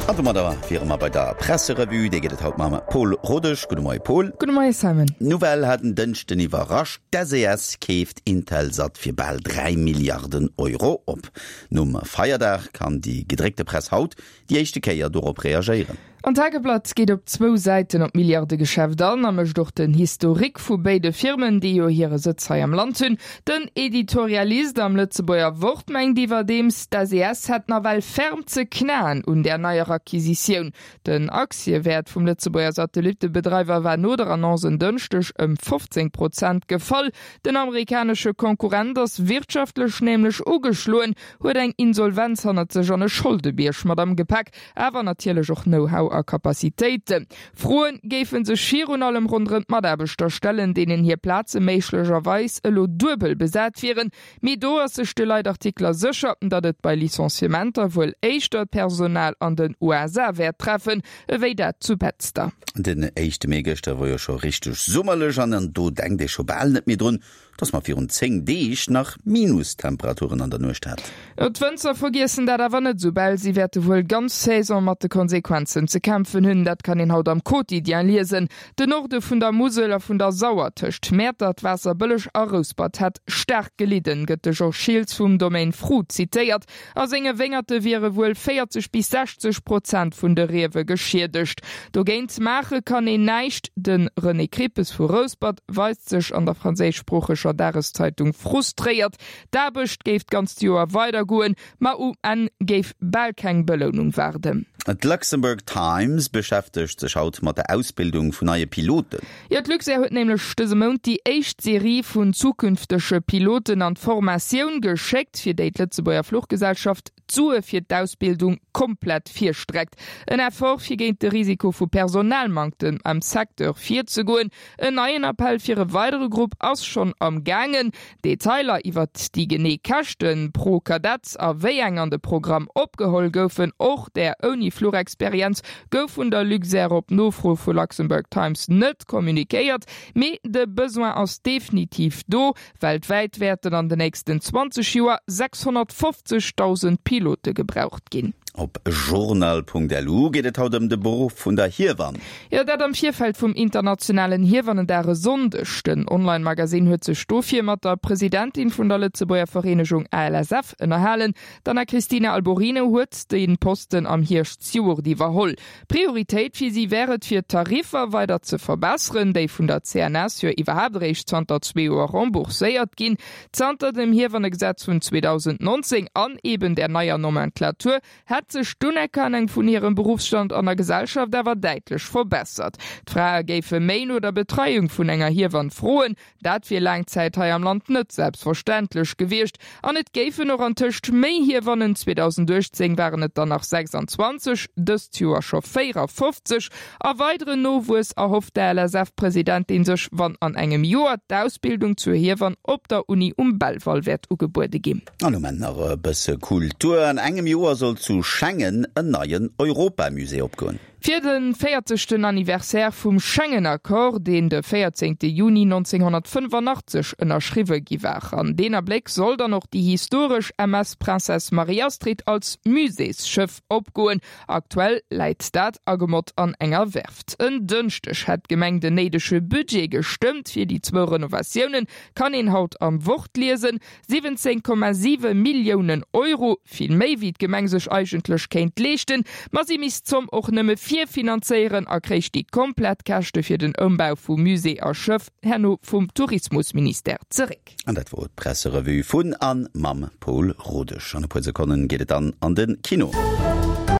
An domadder wiere mer bei der Presserevue. Déi gëtt et haut mam Pol Rodesch. Gudde Moie Pol. Gudde Moie Simon. D'Nouvelle hat en Dënschden iwwerrascht, D'SES keeft Intelsat fir bal 3 Milliarden Euro op. Nom Feierdag kann déi gedréckte Press haut déi éischte Kéier dorop reagéieren. An d'Tageblatt geet op zwou Säiten op d'Milliardegeschäft an a mécht och den Historique vu béide Firmen, déi jo hire Sëtz hei am Land hunn. Den Editorialist am Lëtzebuerger Wort mengt iwwerdeems, d'SES hätt nawell ferm ze knaen un där neier Acquisitioun. Den Aktiewäert vum Lëtzebuerger Satellittebedreiwer war no der Annonce en Dënschdeg ëm 15 Prozent gefall. Den amerikanesche Konkurrent ass wirtschaftlech nämlech ugeschloen, huet eng Insolvenz hannert sech an e Scholdebierg mat am Gepäck, awer natierlech och Know-how a Capacitéiten. Froe géife sech virun allem ronderëm d'Mataarbechter stellen, deenen hir Plaze méiglecherweis elo duebel besat wieren. Mee do ass sech de Leitartikler sécher, datt et bei Licenciementer wuel éischter d'Personal an den USA wäert treffen, ewéi dat zu Betzder. Den éischte Mee gëschter wor jo scho richteg summerlech an do denkt ee scho bal net méi drun, Dass mer virun 10 Deeg nach Minustemperaturen an der Nuecht haten. D'Wënzer vergiessen dat awer net esoubal. Si wäerte wuel ganz Saison mat de Konsequenzen ze kämpfen hunn. Dat kann een haut am Quotidien liesen. Den Norde vun der Musel a vun der Sauer, tëscht Mäertert, Waasserbëlleg a Rouspert, hätt staark gelidden, gëtt de Georges Schiltz vum Domaine Fru zitéiert. A senge Wéngerte wiere wuel 40 bis 60 Prozent vun de Riewe geschiedegt. Dogéint maache kann een näischt. De René Krippes vu Rouspert weist sech an der franséischsproocheger Dageszeitung frustréiert. D'Aarbecht géif d'ganzt Joer weidergoen, ma um Enn géif bal keng Belounung waarden. D'Luxembourg Times beschäftegt sech haut mat der Ausbildung vun neie Piloten. Jo, d'Luxair huet nämlech dëse Mount déi éischt Serie vun zukünftege Piloten an d'Formatioun geschéckt, fir déi d'Lëtzebuerger Fluchgesellschaft d'Sue fir d'Ausbildung komplett virstreckt. En Effort, fir géint de Risiko vu Personalmanktem am Secteur virzegoen. En neien Appell fir e weidere Grupp ass schonn am gaangen. Detailer iwwert déi genee Käschte pro Kadett a wéi eng an de Programm opgeholl goufen, och där ouni Fluchexperienz, gouf vun der Luxair op Nofro vu Luxembourg Times net kommunikéiert. Mee de Besoin ass definitiv do. Weltwäit wäerten an de nächsten 20 Joer 650.000 Pilote gebraucht ginn. Op journal.lu geet et haut ëm de Beruff vun der Hiewann. Jo, dat am Virfeld vum internationalen Hiewannendag e Sonndeg. Den Online-Magasinn huet sech dofir mat der Presidentin vun der Lëtzebuerger Vereenegung ALSF ënnerhalen. D'Anna-Cristina Alborino huet de Posten am Hierscht zejoert iwwerholl. Prioritéit fir si wär et, fir d'Tariffer weider ze verbesseren, déi vun der CNS jo iwwerhaapt eréischt zanter zwee Joer rembourséiert ginn. Zanter dem Hiewannegesetz vun 2019 an eben där neier Nomenclature hätt sech d'Unerkennung vun hirem Beruffsstand an der Gesellschaft awer däitlech verbessert. D'Frae géife méi no der Betreiung vun enger Hiewann froen. Dat wier laang Zäit hei am Land net selbstverständlech gewiescht. An et géifen och antëscht méi Hiewannen, 2018 waren et der nach 26, dëst Joer scho 54. A weideren Nowuess erhofft d'ALSF-Presidentin sech, wann an engem Joer d'Ausbildung zur Hiewann op der Uni um Belval wäert ugebuede ginn. An um Enn nach e bësse Kultur, An engem Joer soll zu Schengen en neien Europamusée opgoen. Fir de véierzegten Anniversaire vum Schengen-Accord, deen de 14 Juni 1985 ënnerschriwwe gi war. An deen Abléck soll dann och déi historesch MS Princesse Marie-Astrid als Muséesschëff opgoen. Aktuell läit dat agemott an enger Werft. En Dënschdeg hätt d'Gemeng den néidege Budget gestëmmt fir déi zwou Renovatiounen, kann een haut am Wort liesen. 17,7 Milliounen Euro, vill méi wéi d'Gemeng sech eigentlech kéint leeschten, ma si misst d'Zomm och nëmme virfinanzéieren a kréich déi komplett Käschte fir den Ëmbau vu Musée a Schëff herno vum Tourismusministère zeréck. An dat wor d'Presserevue vun an mam Paul Rodesch. An e puer Sekonnen geet et dann an de Kino.